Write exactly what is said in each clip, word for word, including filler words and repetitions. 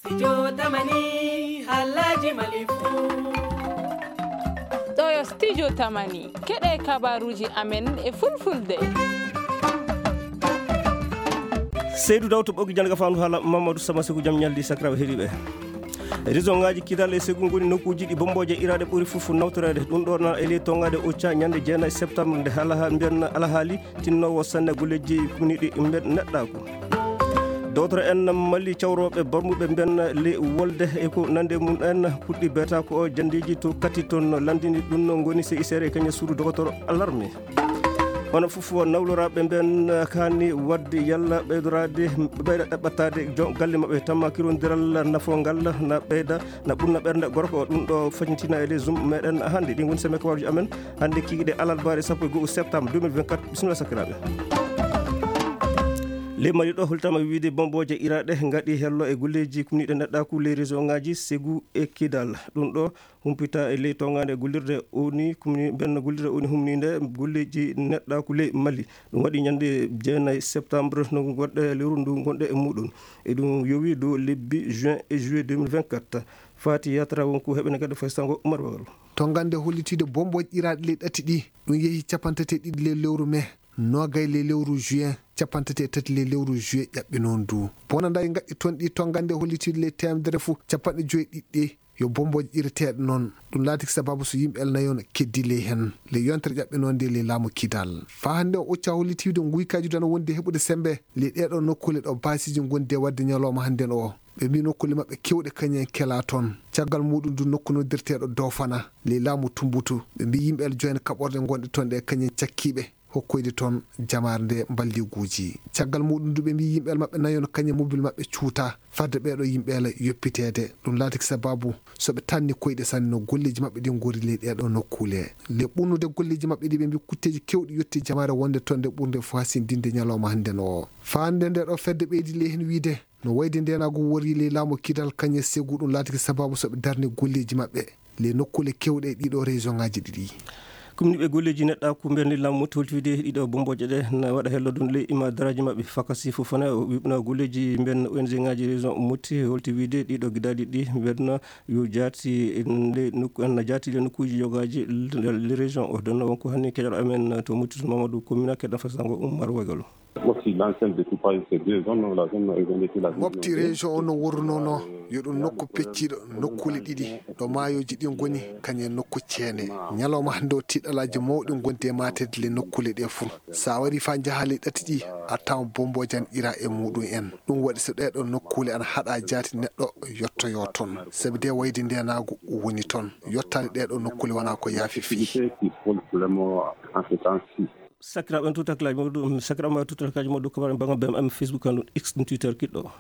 Studio Tamani, Alhaji Malifu. Ɗo yo Studio Tamani, keɗe kabaruji amen e fulfulde. Seydou Daw to ɓoggi jannde ka fandu haala Mamadou Sama Sekou, jam ñalli sakiraaɓe heɗiiɓe. Région ngaji Kidal e Ségou ngoni nokkuji ɗi bombooje iraaɗe ɓuri fof nawtoreede. Ɗum ɗo na e ley tongaade Ocha ñande jeenayi septembre nde hala ha mbiyen alahaali tinnowo sanne golleji kumniɗi mbiyen neɗɗaaku. Dotoro en Mali cawroɓe barmuɓe mbiyen le wolde e ko nande mum en puɗɗi beeta ko o jandeji to kati toon landini ɗum no ngoni C I C R e kañum suudu dogotoro alarme. Hono fof nawloraɓe mbiyen kaani wadde yalla ɓeydoraade ɓeyda ɗaɓɓataade jon galle maɓɓe tamma kirondiral nafongal na ɓeyda na ɓurna ɓernde gorko o. Ɗum ɗo fañitina e les um meɗen hannde. Ɗi ngoni semaine kabaruji amen hannde kikiɗe alarbaare sappo e go'o septembre deux mille vingt-quatre. Bisimilla sakiraaɓe. Ley Mali ɗo holtama wiide bombooje iraaɗe ngaɗi hello e golleji kumniɗe neɗɗaaku ley région ngaji Ségou e Kidal. Ɗum ɗo humpita e ley tongaande gollirde O N U kumni benn gollirde O N U humninde golleji neɗɗaaku ley Mali. Ɗum waɗi ñande jeenayi septembre no goɗɗe lewru ndu gonɗe e muɗum. E ɗum yowi dow lebbi juin e juillet deux mille vingt-quatre. Fati Yatra wonko heɓene kadi faysango Umar Wagal. Tongande hollitiiɗo bombooj iraaɗe ley ɗati ɗi, ɗum yehi capanɗe tati e ɗiɗi ley lewru mai, nogay ley lewru juin, capanɗe tati e tati ley lewru juillet ƴaɓɓi noon du. Bonandaji gaɗɗi toon ɗi tongande hollitiiɗo ley teemedere fof capanɗe joyi ɗiɗi ɗi yo bombooj ireteeɗo noon. Ɗum laatiki sababu so yimɓe el nayon keddi ley heen ley yontere ƴaɓɓe noon nde ley laamu Kidal. Faa hannde o Ocha hollitiiɗo nguykaji dana wonde heɓude sembe ley ɗeeɗo nokkuule ɗo baasiiji ngondi e waɗde ñalawma hannde o. Ɓe mbii nokkuule maɓɓe keewɗe kañum en kelaa toon. Caggal muɗum du nokku noddirteeɗo Dofana ley laamu Tumbutu. Ɓe mbii yimɓe el joine kaɓorɗe gonɗe toon ɗe kañum en cakkiiɓe hokkoyde toon jamaare nde mballiguuji. Caggal muɗum du ɓe mbii yimɓe el maɓɓe nayon kañum en mobil maɓɓe cuuta fadde ɓeeɗo yimɓe el yoppiteede. Ɗum laatiki sababu so ɓe tanni koyɗe sanne no golleeji maɓɓe ɗi ngori ley ɗeeɗo nokkuule. Ley ɓurnude golleeji maɓɓe ɗi ɓe mbii kutteeji keewɗi yotti jamaare wonde toon nde ɓurnde fof hasindinde ñalawma hannde o. Faa hannde nde ɗo fedde ɓeydi ley heen wiide no wayde ndeenaagu wori ley laamu Kidal kañum e Ségou ɗum laatiki sababu so ɓe darni golleeji maɓɓe ley nokkuule keewɗe e ɗiɗo région ngaji ɗiɗi. Kumniiɓe golleeji neɗɗaaku mbendi laamu Moti holti wiide ɗiɗo bombooje ɗe na waɗa hello ɗum ley imadaraaji maɓɓe fakasi fof fana o wiɓna golleeji mben O N G ngaji région Moti holti wiide ɗiɗo gidaali ɗi mbenna yo jaati le nokku en na jaati le nokkuuji yogaaji le région o donno wonko hanni keƴal amen to Moti Mamadou Komina keɗa fasango Umar Wagalo. Mofti, l'enceinte découpage, c'est deux zones, la zone urbaine et puis la zone Mofti région o no worrunono yo ɗum nokku pecciiɗo nokkuule ɗiɗi ɗo maayooji ɗi ngoni kañum e nokku ceene. Ñalawma hannde o tiɗalaaji mawɗi ngondi e maateede le nokkuule ɗe fof. So a warii faa njahaa le ɗati ɗi a tawan bomboojan ira e muɗum en. Ɗum waɗi so ɗeeɗo nokkuule ana haɗa jaati neɗɗo yottoyo toon. Sabi de wayde ndeenaagu woni toon. Yottaade ɗeeɗo nokkuule wonaa ko yaafi fii. Activité qui pose vraiment en ce temps-ci. Sakiraaɓe en tuutaklaaji mawɗo sakiraaɓe ma tuutaklaaji mawɗo kabaru banga B M M Facebook an X ɗum Twitter kiɗɗo.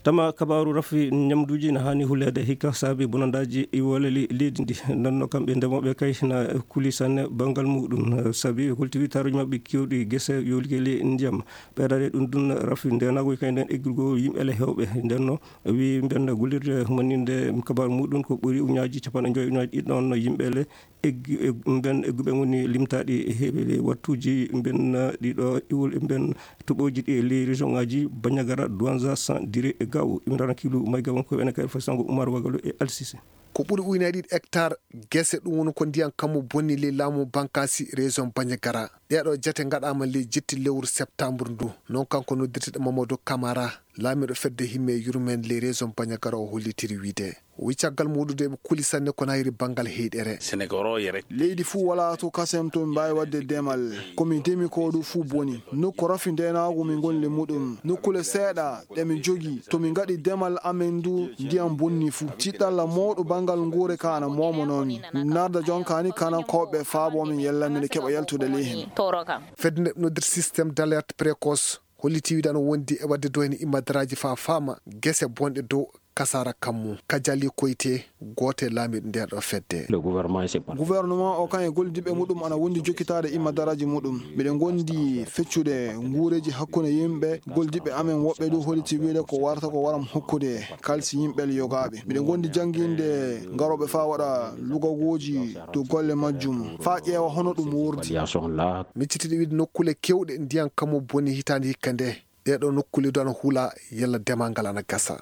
Tama kabaaru rafi ñamduuji na haani huleede hikka saabi bonandaaji iwoleli leydi ndi. Nonno kamɓe ndemooɓe kay na kuli sanne banngal muɗum saabi holti witaaruji maɓɓe kewɗi gese yolike ley ndiyam. Ɓeydade ɗum ɗum rafi ndenaago kay nden eggirgol yimɓe le hewɓe ndenno wi mbenna gollirde humaninde kabaaru muɗum ko ɓuri uñaaji capanɗe joyi uñaaji ɗiɗi ɗon yimɓe le eggi e mben egguɓe ngoni limtaaɗi e heɓe wattuuji mben ɗiɗo iwol e mben toɓooji ɗi e ley région ngaji Bandiagara, Douanza, San Diri e Gao. Imran Kilu mayga wonko ene kay fasango Umar Wagalo e Alsise. Ko ɓuri ujunaaji ɗiɗi hectare gese ɗum woni ko ndiyan kammu bonni ley laamu Bankasi région Bandiagara. Ɗeeɗo jate ngaɗaama ley jetti lewru septembre ndu. Noon kanko noddirteɗo Mamadou Camara, laamiiɗo fedde himme e yurmen ley région Bandiagara o hollitiri wiide. O wi caggal muɗum de ɓe kuli sanne ko nayri banngal heyɗere. Leydi fuu walaa to kasen to min mbaawi waɗde demal. Ko min ndemi ko ɗum fuu boni. Nokku rafi ndeenaagu min ngoni le muɗum. Nokkuule seeɗa ɗe min njogii. To min ngaɗi demal amen ndu ndiyam bonni fuu. Tiɗɗalla mawɗo banngal nguure ka ana moomonoo min. Min narda jonka ni kanankooɓe faabo min yalla miɗo keɓa yaltude ley heen. Fedde nde noddir système d'alerte précoce. Holliti wiide ana wondi e waɗde doyne immadaraaji faa faama gese bonɗe dow kasaara kammu. Kajali Koyte, gooto e laamiiɓe ndeer ɗo fedde. Gouvernement o kan e gollidiɓɓe muɗum ana wondi jokkitaade immadaraaji muɗum. Miɗen gondi feccude nguureeji hakkunde yimɓe. Gollidiɓɓe amen woɓɓe du holliti wiide ko warata ko waram hokkude kalsi yimɓe yogaaɓe. Miɗen gondi jannginde ngarooɓe faa waɗa lugagooji dow golle majjum faa ƴeewa hono ɗum wurdi. Miccitiiɗo wiide nokkuule keewɗe ndiyan kammu boni hitaande hikka nde. ɗeeɗoo nokkuule du ana hula yalla demal ngal ana gasa.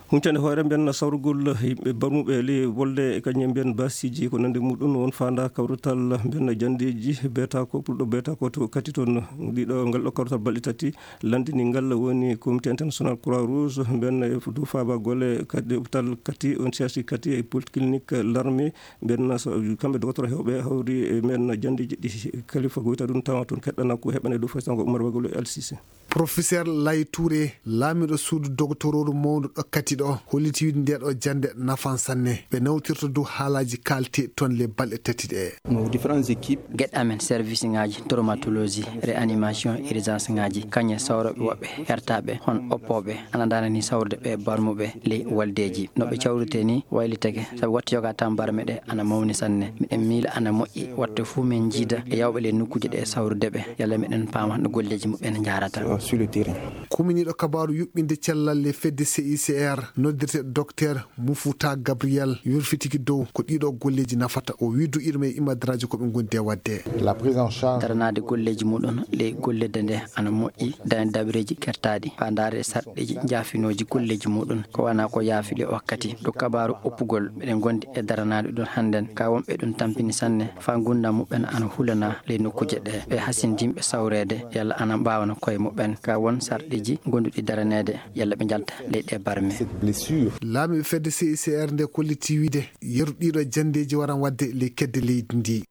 Huncande hoore mbiyen sawrugol yimɓe barmuɓe ley wolde e kañum mbiyen baasiiji ko nandi muɗum won faanda kawrital mbiyen janndeeji beeta ko ɓurɗo beeta ko to kati toon. Ɗiɗo ngal ɗo kawrital balɗe tati landini ngal woni Comité International Croix Rouge mbiyen e dow faaba golle kadi hôpital kati on C H U kati e polyclinique l'armée mbiyen so kamɓe dogotoro hewɓe hawri e mbiyen janndeeji ɗi kalifa goyta ɗum tawa toon keɗɗana ko heɓane dow faysango Oumar Bagolo e Alsise. Professeur Laye Touré, laamiiɗo suudu dogtorooru mawndu ɗo kati ɗo, holliti wiide nde ɗo jannde nafan sanne. Ɓe nawtirta dow haalaaji kaalteeɗi toon le balɗe tati ɗe. Nos différentes équipes. Geɗe amen service ŋaaji traumatologie, réanimation, urgence ŋaaji, kañe sawroɓe woɓɓe hertaɓe hon oppooɓe ana ndarani sawrude ɓe barmuɓe ley waldeeji. No ɓe cawrite ni waylitake, sabu watte yoga tan barme ɗe ana mawni sanne. Miɗen miila ana moƴƴi watte fuu min njiida e yawɓe ley nokkuuje ɗe sawrude ɓe, yalla miɗen paama no golleeji muɓɓen njaarata. Sur le terrain. Kuminiiɗo kabaaru yuɓɓinde cellal le fedde C I C R noddirte docteur Mouffouta Gabriel yurfitiki dow ko ɗiɗo golleeji nafata. O wii duɗiiɗo men e imadaraaji ko ɓe ngondi e waɗde. La prise en charge. Daranaade golleeji muɗum ley gollirde nde ana moƴƴi, dañde dabareeji kertaaɗi, faa ndaarde sarɗiiji njaafinooji golleeji muɗum. Ko wanaa ko yaafi le wakkati. Ɗo kabaaru oppugol, miɗen ngondi e daranaade ɗum hannden. Ka wonɓe ɗum tampini sanne, faa ngurndan muɓɓen ana hulana ley nokkuuje ɗe. Ɓe hasindinɓe sawreede, yalla ana mbaawana koye muɓɓen. Ka won sarɗiiji gonduɗi daraneede, yalla ɓe njalta ley ɗe barme. Cette blessure. Laamiiɓe fedde C I C R nde kolliti wiide yeru ɗiɗo janndeeji waran waɗde ley kedde leydi ndi.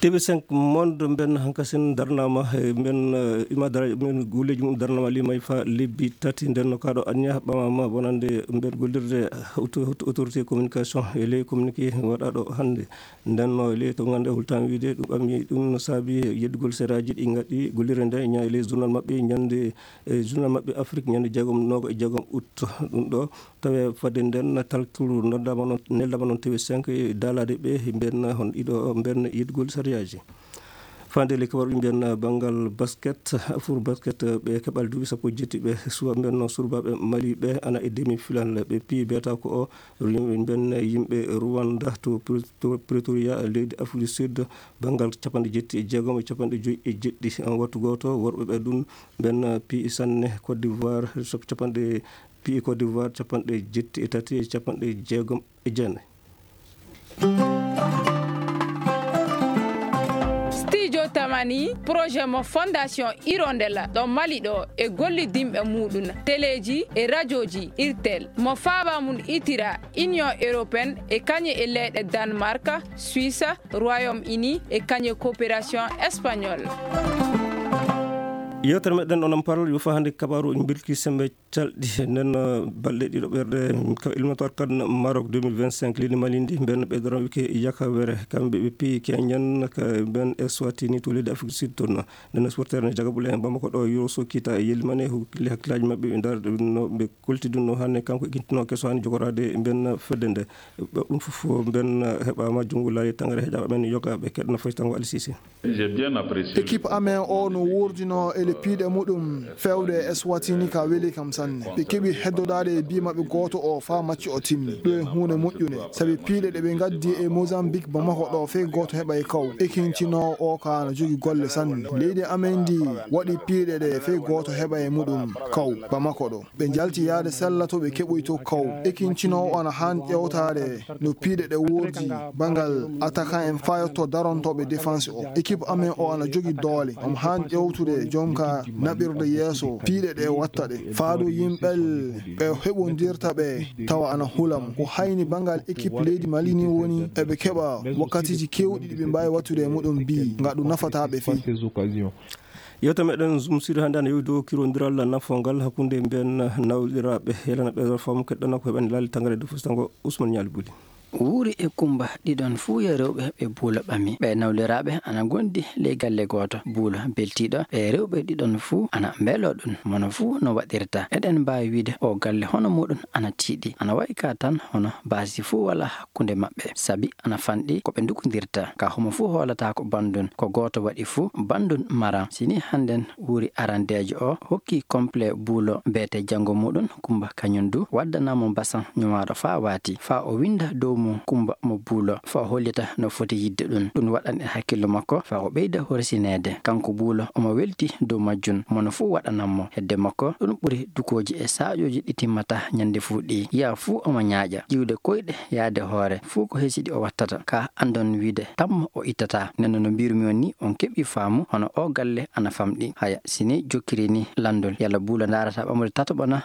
T V cinq Monde mben hankasin darnama e mben, eh, imadara mben golleeji mum darnama limay fa lebbi tati. Nden no kaɗo anniya ɓamama wonande mben gollirde auto-, auto-, autorité communication e ley communiqué waɗaɗo hannde. Nden no e ley to ngannde hultan wiide ɗum ɓami ɗum no saabi yeddugol seraaji ɗi ngaɗi gollirde nde ña e ley journal maɓɓe ñande, e journal maɓɓe Afrique ñande jeegom nogo e jeegom août. Ɗum ɗo tawi fadde nden talkuru noddama noon, neldama noon T V cinq e daalade ɓe mben hon ɗiɗo mben yeddugol sariyaaji. Fande le kabar ɓe mbiyan banngal basket, Afro basket, ɓe keɓal duuɓi sappo e jetti ɓe suwa mbiyan noon surbaaɓe Mali ɓe ana e demi final ɓe piyi beeta ko o mbiyan yimɓe Rwanda to Pre-, to Pretoria leydi Afrique du Sud banngal capanɗe jetti e jeegom e capanɗe joyi e jeɗɗi. Wattu gooto worɓe ɓe ɗum mbiyan piyi sanne Côte d'Ivoire capanɗe, piyi Côte d'Ivoire capanɗe jetti e tati e capanɗe jeegom e jeenayi. Studio Tamani, projet mo Fondation Hirondelle ɗo Mali ɗo e gollidinɓe muɗum, teleeji e rajooji Irtel, mo faaba mum itira Union Européenne e kañe e leyɗe Danemark, Suisse, Royaume-Uni e kañe coopération espagnole. Yewtere meɗen onon paral yo fa hannde kabaru en mbirki sembe calɗi. Nden, uh, balɗe ɗiɗo ɓerɗe, ka éliminatoire kan Maroc deux mille vingt-cinq, leydi Mali ndi, mben ɓe doran wike Yakawere, kamɓe ɓe piyi Kenyan, ka mben Eswatini to leydi Afrique du Sud toon. Nden supporter ne Jagabule en Bamako ɗo, Yoro Sokita e Yelimane, hokki hakkillaaji maɓɓe, ɓe ndaar no ɓe kolti ɗum no hannde, kanko e kintino keso hannde jogoraade mben fedde nde. Ɓe ɗum fof mben heɓaama junngo laayi tangare heƴaɓe men yoga ɓe keɗna foy tango Alisisi. J'ai bien apprécié. Équipe amen o no wurdino e le piiɗe muɗum fewde e Eswatini ka weli kam sanne. Ɓe keɓi heddodaade e bii maɓɓe gooto o faa macci o timmi. Ɗum e huunde moƴƴunde. Sabi piiɗe ɗe ɓe ngaddi e Mozambique Bamako ɗo fey gooto heɓa e kaw. Ekintinoowo o ka no jogi golle sanne. Leydi amen ndi waɗi piiɗe ɗe fey gooto heɓa e muɗum kaw Bamako ɗo. Ɓe njalti yaade sella to ɓe keɓoyto kaw. Ekintinoowo o ana haan ƴeewtaade no piiɗe ɗe woordi banngal attaquant en fayotto darantooɓe défense o. Équipe amen o ana jogi doole. Omo haan ƴeewtude jonka naɓirde yeeso piiɗe ɗe watta ɗe. Faado yimɓel ɓe heɓondirta ɓe tawa ana hulam. Ko hayni banngal équipe leydi Mali ni woni eɓe keɓa wakkatiiji keewɗi ɗi ɓe mbaawi wattude e muɗum bi nga ɗum nafata ɓe fii. Yewta meɗen Zoom Sud hannde ana yewi dow kirondiral nafongal hakkunde mbiyen nawliraaɓe, yelana ɓe faamu keɗɗana ko heɓani laali tangare dow fustango Ousmane Ñaali Buli. Wuuri e Kumba ɗiɗon fuu yo rewɓe ɓe buulo ɓami. Ɓe nawliraaɓe ana ngondi ley galle gooto. Buulo beltiiɗo ɓe rewɓe ɗiɗon fuu ana mbeloo ɗum, mono fuu no waɗirta. Eɗen mbaawi wiide o galle hono muɗum ana tiiɗi. Ana wayi ka tan hono baasi fuu walaa hakkunde maɓɓe, sabi ana fanɗi ko ɓe ndukondirta. Ka homo fuu hoolata ko banndun, ko gooto waɗi fuu banndun mara. Si ni hannden wuuri arandeejo o hokki complet buulo beete janngo muɗum, Kumba kañun du waddana mo basan ñumaaɗo faa waati, faa o winnda dow mo Kumba mo Buulo, faa hollita no foti yiɗde ɗum. Ɗum waɗan e hakkillo makko faa o ɓeyda horsineede. Kanko Buulo omo welti dow majjum, mo no fuu waɗanan mo. Hedde makko, ɗum ɓuri dukooji e saaƴooji ɗi timmataa ñande fuu ɗi. Yaa fuu omo ñaaƴa, ƴiwde koyɗe, yaade hoore, fuu ko hesidi o wattata. Ka anndon wiide tammo o ittataa. Nden no mbirumi on ni, on keɓi faamu, hono o galle ana famɗi. Haya, si ni jokkiri ni lanndol, yalla Buulo ndaarata ɓamre tataɓo na?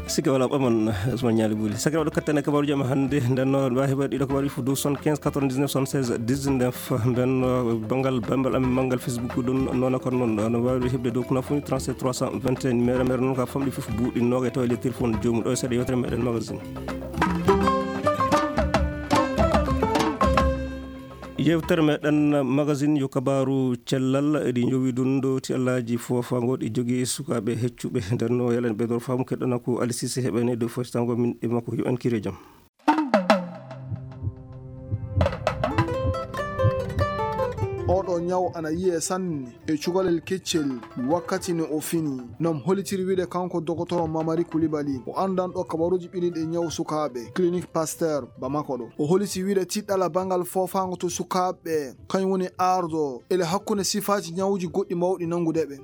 Sikke walaa ɓaman, Ousmane Ñaali Buuli. Sakira waɗo kattane kabaaruji am hannde. Nden no waawi heɓade ɗiɗo kabaaruji fof dow soixante-quinze quatre-vingt-dix-neuf soixante-seize dix-neuf. Nden no banngal bambal amin manngal Facebook ɗum noona kon noon. No waawi heɓde dow ko nafuni trente-sept trois cent vingt et un. Mere mere noon ka famɗi fof buuɗi noga e tawa le téléphone joomum ɗo e seeɗa yewtere meɗen magazine. Yewtere meɗen magazine yo kabaaru cellal, eɗi njowi ɗum ɗo ti Allaaji Foofaango ɗi jogii sukaaɓe heccuɓe. Nden no yalen ɓe dor faamu keɗɗana ko Ali Sise heɓene dow fostango min e makko yo en kire jam. Oɗo ñaw ana yiye sanne e cukalel keccel wakkati no o fini. Nom holitiri wiide kanko Dokotoro Mamari Kulibali, o anndanɗo kabaruuji ɓiliɗi e ñaw sukaaɓe, Clinique Pasteur Bamako ɗo. O holiti wiide tiɗɗala banngal foofaango to sukaaɓe, kañum woni ardo ele hakkunde sifaaji ñawuuji goɗɗi mawɗi nanngude ɓe.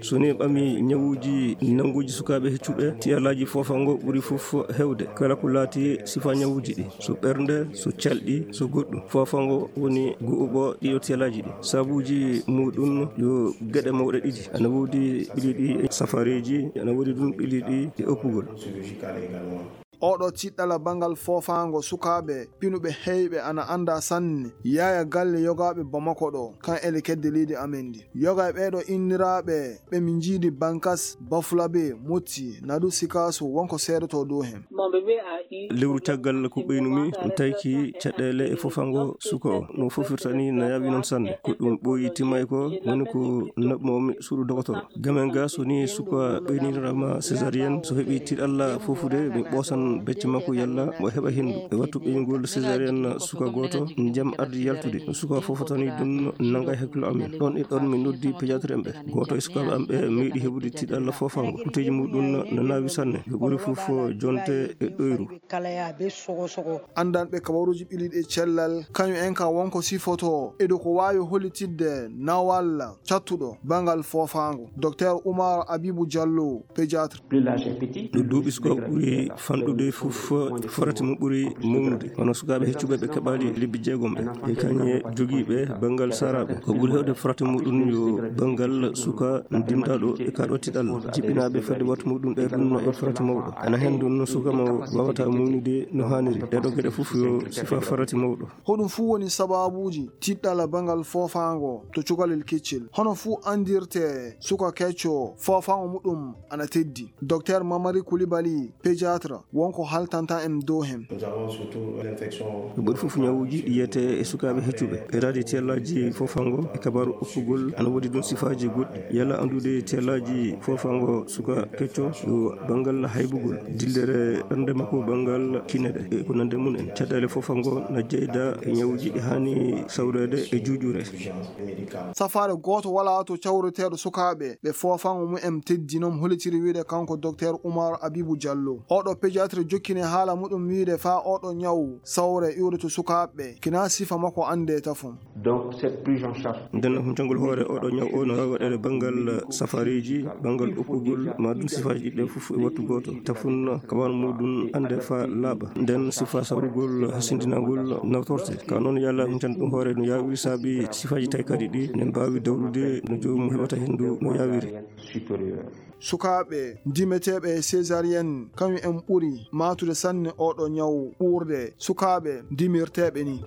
So ni ɓami ñawuuji nannguuji sukaaɓe heccuɓe, tiyalaaji foofaango ɓuri fof hewde. Kala ko laati sifa ñawuuji ɗi, so ɓernde, so calɗi, so goɗɗum. Foofaango woni gu'uɓo ɗiɗo tiyalaaji ɗi. Sabuuji muɗum yo geɗe mawɗe ɗiɗi. Ana woodi ɓiliɗi e safareeji, ana woodi ɗum ɓiliɗi e oppugol. Oɗo tiɗɗala banngal foofaango sukaaɓe pinuɓe heyɓe ana annda sanne, yaaya galle yogaaɓe Bamako ɗo, kan ele kedde leydi amen ndi. Yoga e ɓeeɗo inniraaɓe ɓe min njiidi Bankas, Bafulabe, Motti, Nadu Sikaso, wonko seedoto dow hen. Lewru caggal ko ɓeynumi, ɗum tawki caɗeele e foofaango suka o. No foofirta ni, na yaawi noon sanne. Ko ɗum ɓooyi timmay ko, woni ko naɓmomi suudu dokotoro. Gamen ga, so ni suka ɓeyninirama césarienne, so heɓi tiɗalla foofude, mi ɓoosan becce makko yalla mo heɓa hendu. E wattu ɓeynugol césarienne suka gooto, jam ardi yaltude. Suka foofotani ɗum nanga e hakkilo amen. Ɗon e ɗon mi noddi pédiatre en ɓe. Gooto e sukaaɓe am ɓe meeɗi heɓude tiɗalla foofaango. Kuteeji muɗum no naawi sanne. Ɓe ɓuri fof jonte e ɗoyru. Anndanɓe kabaruuji ɓiliɗi e cellal, kañum en ka wonko sifoto e dow ko waawi hollitidde nawal cattuɗo banngal foofaango. Docteur Oumar Abibou Diallo, pédiatre. No duuɓi suka ɓuri fanɗude fof, forati mo ɓuri mawnude. Hono sukaaɓe heccuɓe ɓe kaɓaali lebbi jeegom ɓe. E kañe jogiiɓe banngal saaraaɓe. Ko ɓuri hewde forati muɗum yo banngal suka dimdaaɗo e kaɗo tiɗal. Jiɓɓinaaɓe fedde wattu muɗum ɓe ɗum no e forati mawɗo. Ana hen ɗum no suka mo wawata mawnude no haaniri. Ɗeɗo geɗe fof yo sifa forati mawɗo. Hoɗum fuu woni sababuuji tiɗɗala banngal foofaango to cukalel keccel. Hono fuu anndirte suka kecco foofaango muɗum ana teddi. Docteur Mamari Koulibaly, pédiatre, wonko haltanta en dow hen. Ko ɓuri fof ñawuuji ɗi yiyete e sukaaɓe heccuɓe. Ɓeydaade tiyallaaji foofaango e kabaaru oppugol ana woodi ɗum sifaaji goɗɗi. Yalla anndude tiyallaaji foofaango suka kecco yo banngal haybugol, dillere ɓernde makko, banngal kineɗe e ko nande mum en. Caɗeele foofaango na jeyda e ñawuuji ɗi haani sawreede e juuƴure. Safaare gooto walaa to cawreteeɗo sukaaɓe ɓe foofaango mumen teddi, non hollitiri wiide kanko Docteur Oumar Abibou Diallo. Oɗo pédiatre jokkini haala muɗum wiide faa oɗo ñaw sawre iwde to sukaaɓe, kina sifa makko annde tafon. Donc, cette prise en charge. Nden huncangol hoore oɗo ñaw o no waawi waɗeede banngal safareeji, banngal oppugol, ma ɗum sifaaji ɗiɗi ɗe fof e wattu gooto. Tafon kawan muɗum annde faa laaɓa. Nden sifa sawrugol hasindinagol nawtorte. Ka noon yalla huncan ɗum hoore no yaawiri saabi sifaaji taykaaɗi ɗi ne mbaawi dawrude no joomum heɓata henndu no yaawiri. Supérieur. Sukaaɓe ndimeteeɓe e césarienne, kañum en ɓuri maatude sanne oɗo ñaw ɓurde sukaaɓe ndimirteeɓe ni.